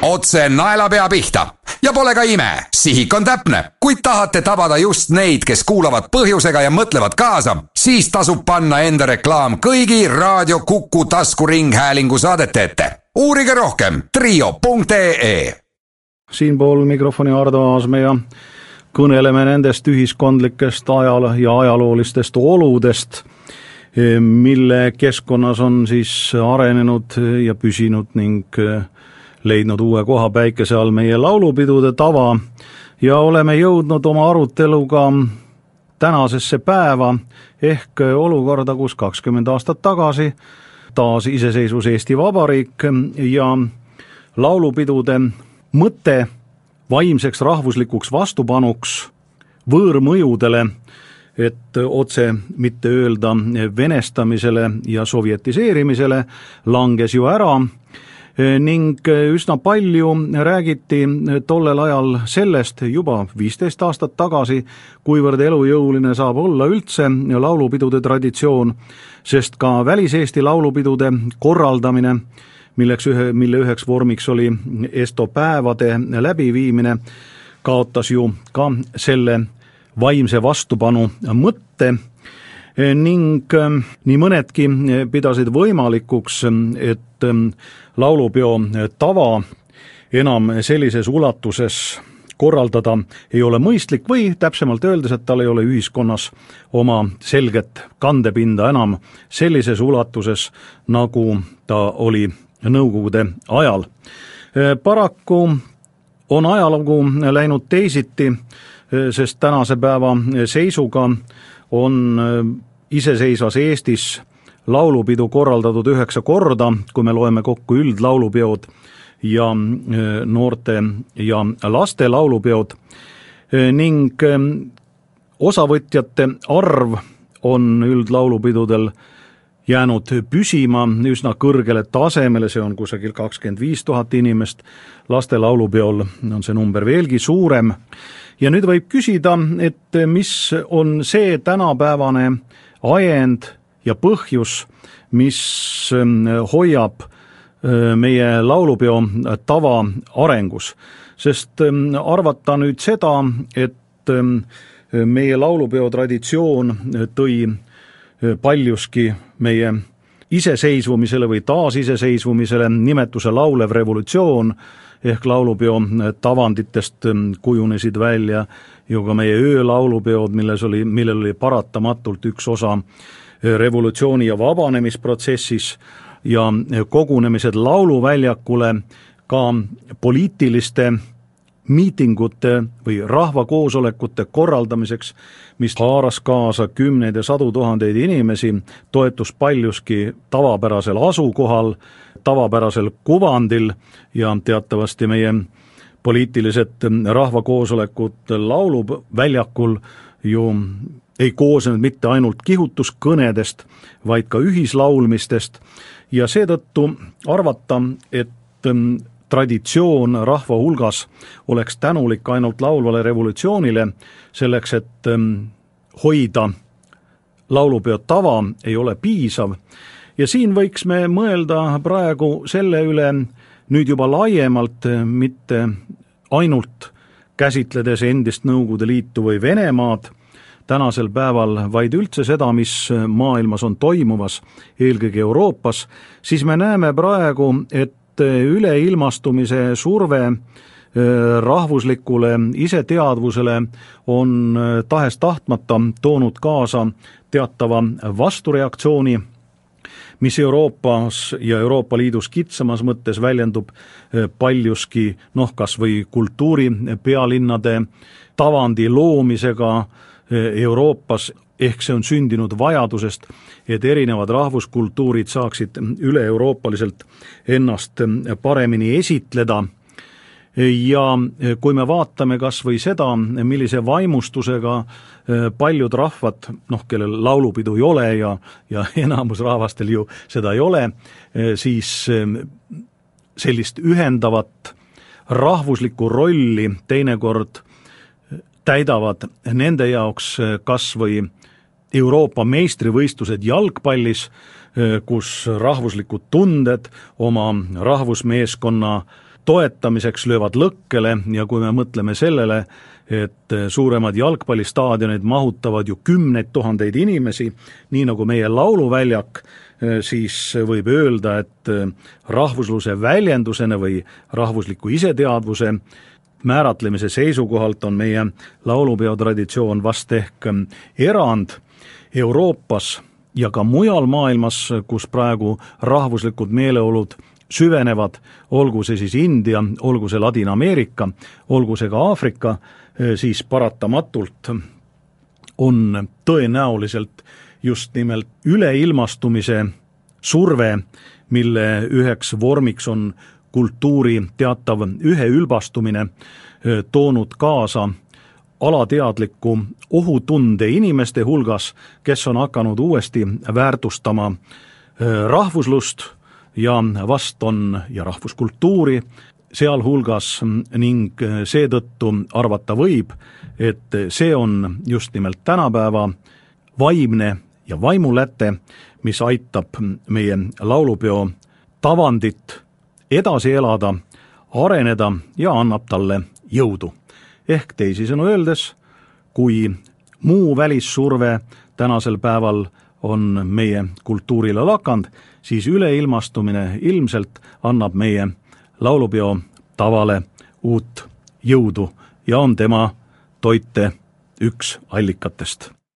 Otse naelapea pihta. Ja pole ka ime, sihik on täpne. Kui tahate tabada just neid, kes kuulavad põhjusega ja mõtlevad kaasa, siis tasub panna enda reklaam kõigi Raadio Kuku taskuringhäälingu saadete ette. Uurige rohkem trio.ee. Siinpool mikrofoni Ardo Aasme ja kõneleme nendest ühiskondlikest ja ajaloolistest oludest, mille keskkonnas on siis arenenud ja püsinud ning leidnud uue koha päikese all meie laulupidude tava ja oleme jõudnud oma aruteluga tänasesse päeva ehk olukorda, kus 20 aastat tagasi taas iseseisvus Eesti Vabariik ja laulupidude mõte vaimseks rahvuslikuks vastupanuks võõrmõjudele, et otse mitte öelda venestamisele ja sovjetiseerimisele, langes ju ära ning üsna palju räägiti tollel ajal sellest juba 15 aastat tagasi, kuivõrd elujõuline saab olla üldse laulupidude traditsioon, sest ka väliseesti laulupidude korraldamine, mille üheks vormiks oli estopäevade läbiviimine, kaotas ju ka selle vaimse vastupanu mõtte ning nii mõnedki pidasid võimalikuks, et laulupeo tava enam sellises ulatuses korraldada ei ole mõistlik või täpsemalt öeldes, et tal ei ole ühiskonnas oma selget kandepinda enam sellises ulatuses, nagu ta oli Nõukogude ajal. Paraku on ajalugu läinud teisiti, sest tänase päeva seisuga on iseseisvas Eestis laulupidu korraldatud 9 korda, kui me loeme kokku üldlaulupeod ja noorte ja laste laulupeod ning osavõtjate arv on üldlaulupidudel jäänud püsima üsna kõrgele tasemele, see on kusagil 25 000 inimest, laste laulupeol on see number veelgi suurem. Ja nüüd võib küsida, et mis on see tänapäevane ajend ja põhjus, mis hoiab meie laulupeo tava arengus. Sest arvata nüüd seda, et meie laulupeo traditsioon tõi paljuski meie iseseisvumisele või taasiseseisvumisele nimetuse laulev revolutsioon ehk laulupeo tavanditest kujunesid välja ju ka meie öölaulupeod, millel oli paratamatult üks osa revolutsiooni ja vabanemisprotsessis ja kogunemised lauluväljakule ka poliitiliste miitingute või rahvakoosolekute korraldamiseks, mis haaras kaasa kümneid ja sadu tuhandeid inimesi, toetus paljuski tavapärasel asukohal, tavapärasel kuvandil ja teatavasti meie poliitilised rahvakoosolekud lauluväljakul ju ei koosnenud mitte ainult kihutuskõnedest, vaid ka ühislaulmistest ja seetõttu arvata, et traditsioon rahva hulgas oleks tänulik ainult laulvale revolutsioonile, selleks, et hoida laulupeo tava ei ole piisav. Ja siin võiks me mõelda praegu selle üle nüüd juba laiemalt, mitte ainult käsitledes endist Nõukogude Liitu või Venemaad tänasel päeval, vaid üldse seda, mis maailmas on toimuvas, eelkõige Euroopas, siis me näeme praegu, et üleilmastumise surve rahvuslikule iseteadvusele on tahes-tahtmata toonud kaasa teatava vastureaktsiooni, mis Euroopas ja Euroopa Liidus kitsamas mõttes väljendub paljuski kas või kultuuri pealinnade tavandi loomisega Euroopas, ehk see on sündinud vajadusest, et erinevad rahvuskultuurid saaksid üle-euroopaliselt ennast paremini esitleda. Ja kui me vaatame kas või seda, millise vaimustusega paljud rahvad, kellel laulupidu ei ole ja enamus rahvastel ju seda ei ole, siis sellist ühendavat rahvuslikku rolli teinekord täidavad nende jaoks kas või Euroopa meistrivõistlused jalgpallis, kus rahvuslikud tunded oma rahvusmeeskonna toetamiseks löövad lõkkele ja kui me mõtleme sellele, et suuremad jalgpallistaadionid mahutavad ju 10 000 inimesi, nii nagu meie lauluväljak, siis võib öelda, et rahvusluse väljendusena või rahvusliku iseteadvuse määratlemise seisukohalt on meie laulupeo traditsioon vast ehk erand Euroopas ja ka mujal maailmas, kus praegu rahvuslikud meeleolud süvenevad, olgu see siis India, olgu see Ladina-Ameerika, olgu see ka Aafrika, siis paratamatult on tõenäoliselt just nimelt üleilmastumise surve, mille üheks vormiks on kultuuri teatav üheülbastumine, toonud kaasa alateadliku ohutunde inimeste hulgas, kes on hakanud uuesti väärtustama rahvuslust ja rahvuskultuuri sealhulgas ning seetõttu arvata võib, et see on just nimelt tänapäeva vaimne ja vaimuläte, mis aitab meie laulupeo tavandit edasi elada, areneda ja annab talle jõudu. Ehk teisisõnu öeldes, kui muu välissurve tänasel päeval on meie kultuurile lakand, siis üleilmastumine ilmselt annab meie laulupeo tavale uut jõudu ja on tema toite üks allikatest.